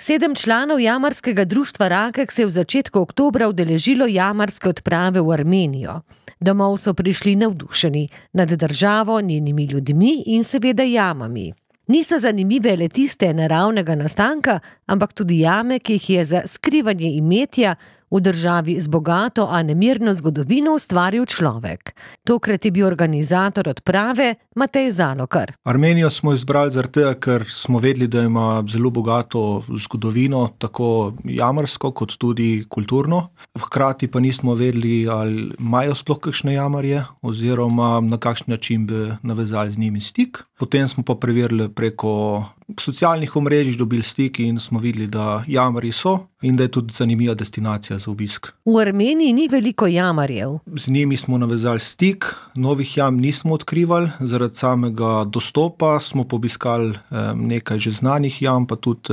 7 članov jamarskega društva Rakek se je v začetku oktobra udeležilo jamarske odprave v Armenijo. Domov so prišli navdušeni nad državo, njenimi ljudmi in seveda jamami. Niso zanimive le tiste naravnega nastanka, ampak tudi jame, ki jih je za skrivanje imetja v državi z bogato, a nemirno zgodovino ustvaril človek. Tokrat je bil organizator odprave Matej Zalokar. Armenijo smo izbrali zaradi tega, ker smo vedeli, da ima zelo bogato zgodovino, tako jamarsko kot tudi kulturno. Hkrati pa nismo vedeli, ali imajo sploh kakšne jamarje oziroma na kakšen način bi navezali z njimi stik. Potem smo pa preverili preko socialnih omrežij, dobili stik in smo videli, da jamarji so in da je tudi zanimiva destinacija za obisk. V Armeniji ni veliko jamarjev. Z njimi smo navezali stik, novih jam nismo odkrivali, zaradi samega dostopa smo obiskali nekaj že znanih jam, pa tudi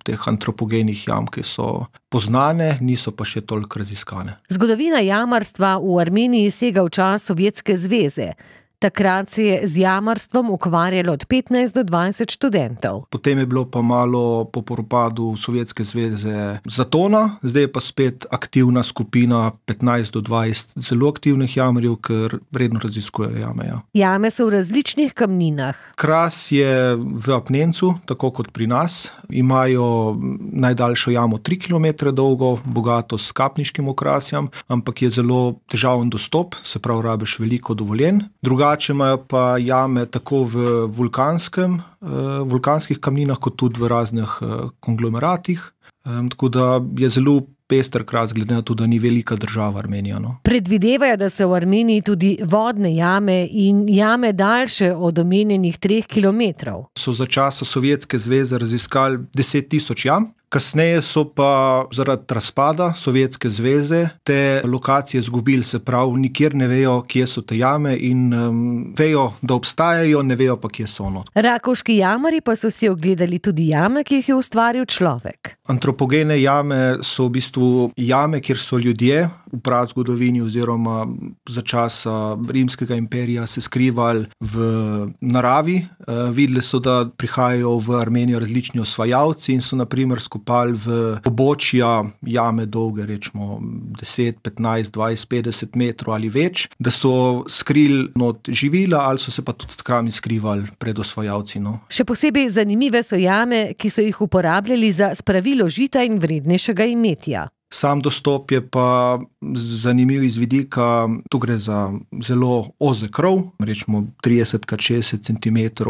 teh antropogenih jam, ki so poznane, niso pa še toliko raziskane. Zgodovina jamarstva v Armeniji sega v čas Sovjetske zveze. Takrat se je z jamarstvom ukvarjalo od 15 do 20 študentov. Potem je bilo pa malo po propadu Sovjetske zveze zatona, zdaj je pa spet aktivna skupina 15 do 20 zelo aktivnih jamarjev, ker vredno raziskujejo jame. Ja. Jame so v različnih kamninah. Kras je v apnencu, tako kot pri nas. Imajo najdaljšo jamo 3 km dolgo, bogato s kapniškim okrasjem, ampak je zelo težaven dostop, se pravi rabiš veliko dovoljenj. Drugače imajo pa jame tako v vulkanskih kamninah, kot tudi v raznih konglomeratih. Tako da je zelo pester kras, glede na to, da ni velika država Armenija. No. Predvidevajo, da so v Armeniji tudi vodne jame in jame daljše od omenjenih 3 kilometrov. So za časa Sovjetske zveze raziskali 10.000 jam. Kasneje so pa zaradi razpada Sovjetske zveze te lokacije izgubili, se pravi, nikjer ne vejo, kje so te jame in vejo, da obstajajo, ne vejo pa, kje so. Rakovški jamarji pa so si ogledali tudi jame, ki jih je ustvaril človek. Antropogene jame so v bistvu jame, kjer so ljudje v prazgodovini oziroma za časa Rimskega imperija se skrivali v naravi. Videli so, da prihajajo v Armenijo različni osvajalci in so na primer skopali v pobočja jame dolge, rečemo 10, 15, 20, 50 metrov ali več, da so skrili not živila ali so se pa tudi skrami skrivali pred osvajalci. No. Še posebej zanimive so jame, ki so jih uporabljali za spravilo žita in vrednejšega imetja. Sam dostop je pa zanimiv iz vidika, tu gre za zelo ozek krov, rečemo 30x60 cm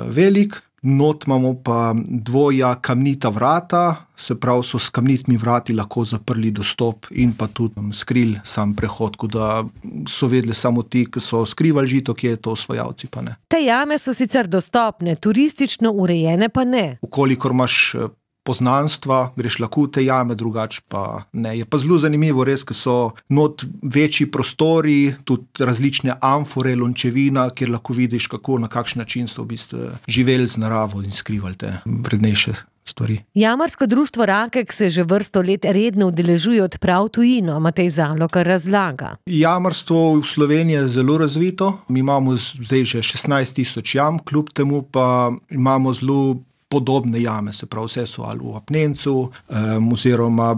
velik. Not imamo pa dvoja kamnita vrata, se pravi so s kamnitimi vrati lahko zaprli dostop in pa tudi skrili sam prehod, da so vedeli samo ti, ki so skrivali žito, kje je to, osvajalci pa ne. Te jame so sicer dostopne, turistično urejene pa ne. Ukolikor imaš poznanstva, greš lahko v te jame, drugače pa ne. Je pa zelo zanimivo, res, ker so not večji prostori, tudi različne amfore, lončevina, kjer lahko vidiš, kako, na kakšen način so v bistvu živeli z naravo in skrivali te vrednejše stvari. Jamarsko društvo Rakek se že vrsto let redno udeležuje odprav tujino, Matej Zalokar razlaga. Jamarstvo v Sloveniji je zelo razvito. Mi imamo zdaj že 16.000 jam, kljub temu pa imamo zelo podobne jame, se pravi, vse so ali v apnencu, oziroma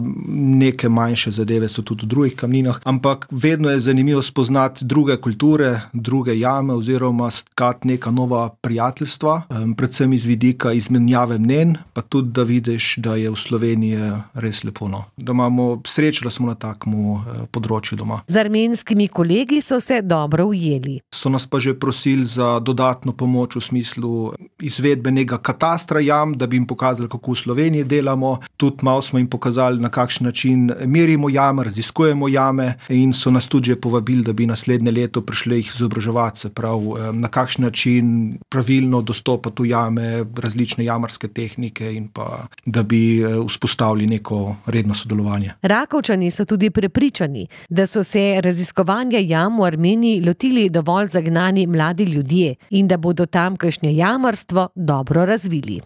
neke manjše zadeve so tudi v drugih kamninah, ampak vedno je zanimivo spoznati druge kulture, druge jame oziroma stkati neka nova prijateljstva, predvsem iz vidika izmenjave mnenj, pa tudi, da vidiš, da je v Sloveniji res lepo. No. Da imamo srečo, da smo na takmu področju doma. Z armenskimi kolegi so se dobro ujeli. So nas pa že prosili za dodatno pomoč v smislu izvedbenega katastra jam, da bi jim pokazali, kako v Sloveniji delamo. Tudi malo smo jim pokazali, na kakšen način merimo jame, raziskujemo jame in so nas tudi že povabili, da bi naslednje leto prišli jih izobraževati, se pravi, na kakšen način pravilno dostopati v jame, različne jamarske tehnike in pa, da bi vzpostavili neko redno sodelovanje. Rakovčani so tudi prepričani, da so se raziskovanja jam v Armeniji lotili dovolj zagnani mladi ljudje in da bodo tamkajšnje jamarstvo dobro razvili.